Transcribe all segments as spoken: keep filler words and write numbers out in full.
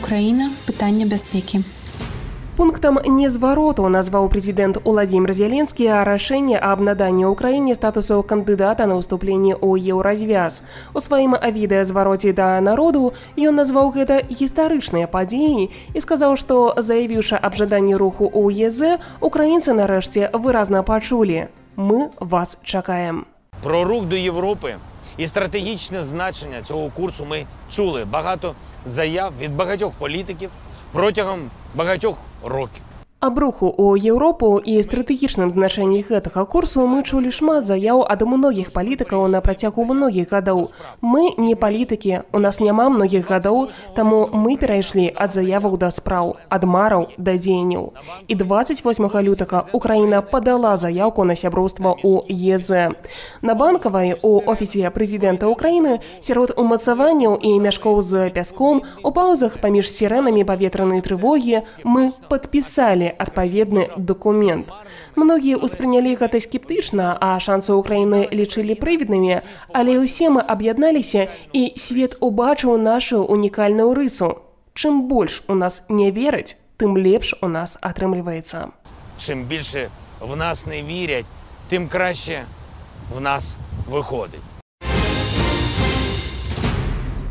Украіна. Пытанне бяспекі. Пунктам незвароту назваў прэзідэнт Уладзімір Зеленскі рашэнне аб наданні ўкраіне статусу кандыдата на ўступленне ў еўразвяз. У сваім відэазвароце да народу ён назваў гэта гістарычныя падзеі і сказаў, што, заявіўшы аб жаданні руху ў ЕЗ, украінцы нарэшце выразна пачулі: «Мы вас чакаем». Про рух до Європи і стратегічне значення цього курсу ми чули багато заяв від багатьох політиків протягом багатьох років. Аб руху ў Еўропу і стратэгічным значэнні гэтага курсу мы чулі шмат заяў ад многіх палітыкаў на працягу многіх гадоў. Мы не палітыкі, у нас няма многіх гадоў, таму мы перайшлі ад заяваў да спраў, ад мараў да дзеянняў. І дваццаць восьмага лютага Украіна падала заяўку на сяброўства ў ЕЗ. На Банкавай у офісе прэзідэнта Украіны сярод умацаванняў і мяшкоў з пяском у паўзах паміж сірэнамі паветранай трывогі мы падпісалі адпаведны документ. Многія ўспрынялі гэта скептычна, а шансы Украіны лічылі прывіднымі, але ўсе мы аб'ядналіся і свет убачыў нашу унікальную рысу. Чым больш у нас не вераць, тым лепш у нас атрымліваецца. Чим більше в нас не вірять, тим краще в нас виходить.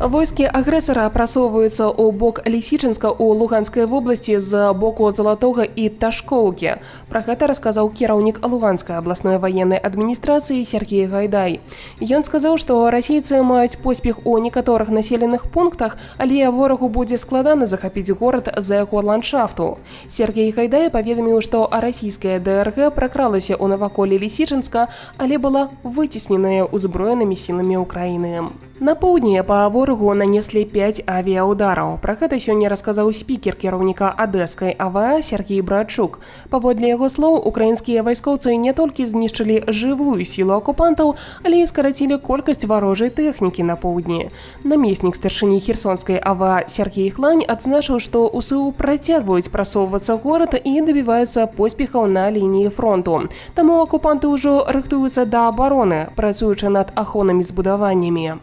Войскі агрэсара прасоўваюцца ў бок Лісічынска ў Луганскай вобласці з боку Залатога і Ташкоўкі. Пра гэта расказаў кіраўнік Луганскай абласной ваеннай адміністрацыі Сергей Гайдай. Ён сказаў, што расейцы маюць поспех у некаторых населеных пунктах, але ворагу будзе складана захапіць горад з-за яго ландшафту. Сергей Гайдай паведаміў, што расійская ДРГ пракралася ў наваколле Лісічынска, але была выцесненая ўзброенымі сіламі Украіны. На поўдні па ворагу нанеслі пяць авіяудараў. Пра гэта сёння расказаў спікер кіраўніка Адэскай АВА Сергей Братчук. Паводле яго слоў, украінскія вайскоўцы не толькі знішчылі жывую сілу акупантаў, але і скарацілі колькасць варожай тэхнікі на поўдні. Намеснік старшыні Херсонскай АВА Сергей Хлань адзначыў, што УСУ працягваюць прасоўвацца горад і дабіваюцца поспехаў на лініі фронту. Таму акупанты ўжо рыхтуюцца да абароны, працуючы над ахоўнымі збудаваннямі.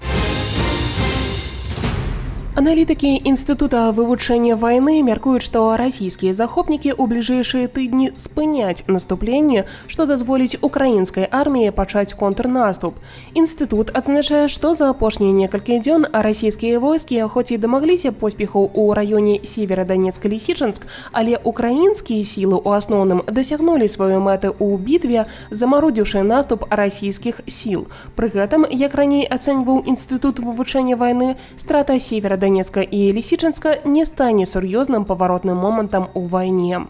Аналітыкі Інстытута вывучэння вайны мяркуюць, што расійскія захопнікі ў бліжэйшыя тыдні спыняць наступленне, што дазволіць украінскай арміі пачаць контрнаступ. Інстытут адзначае, што за апошнія некалькі дзён расійскія войскі хоць і дамагліся поспехаў у раёне Северадонецк-Лісічынск, але украінскія сілы ў асноўным дасягнулі сваёй мэты ў бітве, замарудзіўшы наступ расійскіх сіл. Пры гэтым, як раней ацэньваў Інстытут вывучэння вайны, страта Северадонецка Донецка і Лісічынска не стане сур'ёзным паваротным момантам у вайне.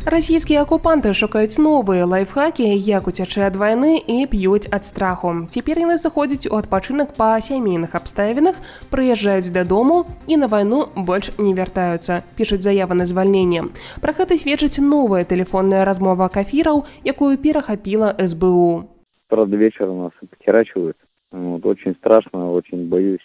Расійскія акупанты шукаюць новыя лайфхакі, як уцячы ад вайны і п'юць ад страху. Цяпер яны заходзяць у адпачынак па сямейных абставінах, прыязджаюць дадому і на вайну больш не вяртаюцца, пішуць заявы на звальненне. Пра гэта сведчыць новая тэлефонная размова кафіраў, якую перахапіла эс бэ у. Правда, вечером нас похерачивают. Вот, очень страшно, очень боюсь.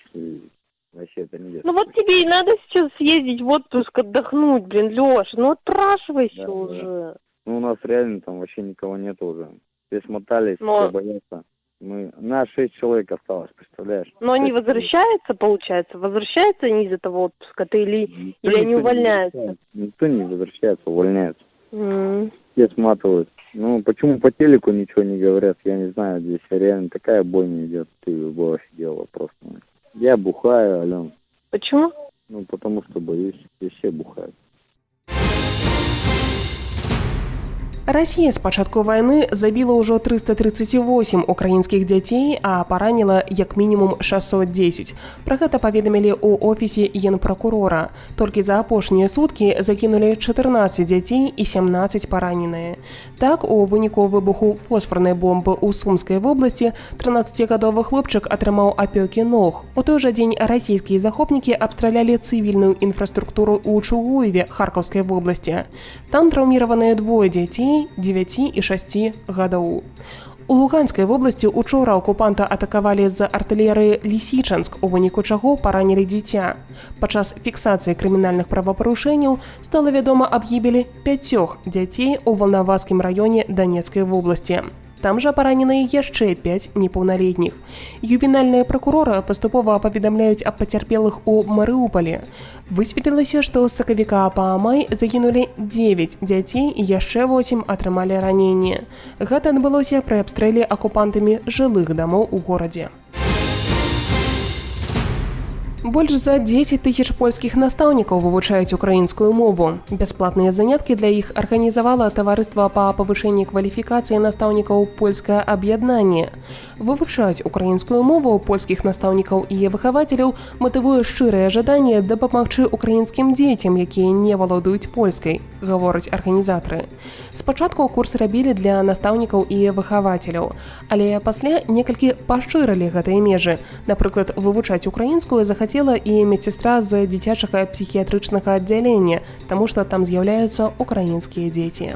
Вообще это не Ну вот тебе и надо сейчас съездить в отпуск, отдохнуть, блин, Леша, ну отпрашивайся да, уже. Да. Ну у нас реально там вообще никого нет уже. Все смотались, Но... все боятся. Мы... Нас шесть человек осталось, представляешь? Но они возвращаются, получается? Возвращаются они из этого отпуска? Ты или, никто или они увольняются? Не никто не возвращается, увольняются. Mm. Все сматывают. Ну, почему по телеку ничего не говорят, я не знаю, здесь реально такая бойня идет, ты бы офигела просто. Я бухаю, Ален. Почему? Ну, потому что боюсь, здесь все бухают. Расія з пачатку вайны забіла ўжо трыста трыццаць восем украінскіх дзяцей, а параніла як мінімум шэсцьсот дзесяць. Пра гэта паведамілі ў офісе генпракурора. Толькі за апошнія суткі закінулі чатырнаццаць дзяцей і сямнаццаць параненыя. Так, у выніку выбуху фосфарнай бомбы ў Сумскай вобласці трынаццацігадовы хлопчык атрымаў апёкі ног. У той жа дзень расійскія захопнікі абстралялі цывільную інфраструктуру ў Чугуеве Харкаўскай вобласці. Там траўміраваныя двое дзяцей дзевяці і шасці гадоў. У Луганскай вобласці учора акупанта атакавалі з артылерыі Лісічынск, у выніку чаго паранілі дзіця. Падчас фіксацыі крымінальных правапарушэнняў стала вядома аб гібелі пяцёх дзяцей у Валнаваскім раёне Донецкай вобласці. Там жа параненыя яшчэ пяць непаўналетніх. Ювенальныя пракуроры паступова паведамляюць аб пацярпелых у Марыуполі. Высветлілася, што з сакавіка па май загінулі дзевяць дзяцей і яшчэ восем атрымалі раненні. Гэта адбылося пры абстрэле акупантамі жылых дамоў у горадзе. Больш за дзесяць тысяч польскіх настаўнікаў вывучаюць украінскую мову. Бясплатныя заняткі для іх арганізавала таварыства па павышэнні кваліфікацыі настаўнікаў польскае аб'яднанне. Вывучаць украінскую мову польскіх настаўнікаў і выхавацеляў матывуе шчырае жаданне дапамагчы украінскім дзецям, якія не валодаюць польскай, гавораць арганізатары. Спачатку курс рабілі для настаўнікаў і выхавацеляў, але пасля некалькі пашырылі гэтыя межы. Напрыклад, вывучаць украінскую захацелі і медсестра з дзіцячага псіхіятрычнага аддзялення, таму што там з'яўляюцца украінскія дзеці.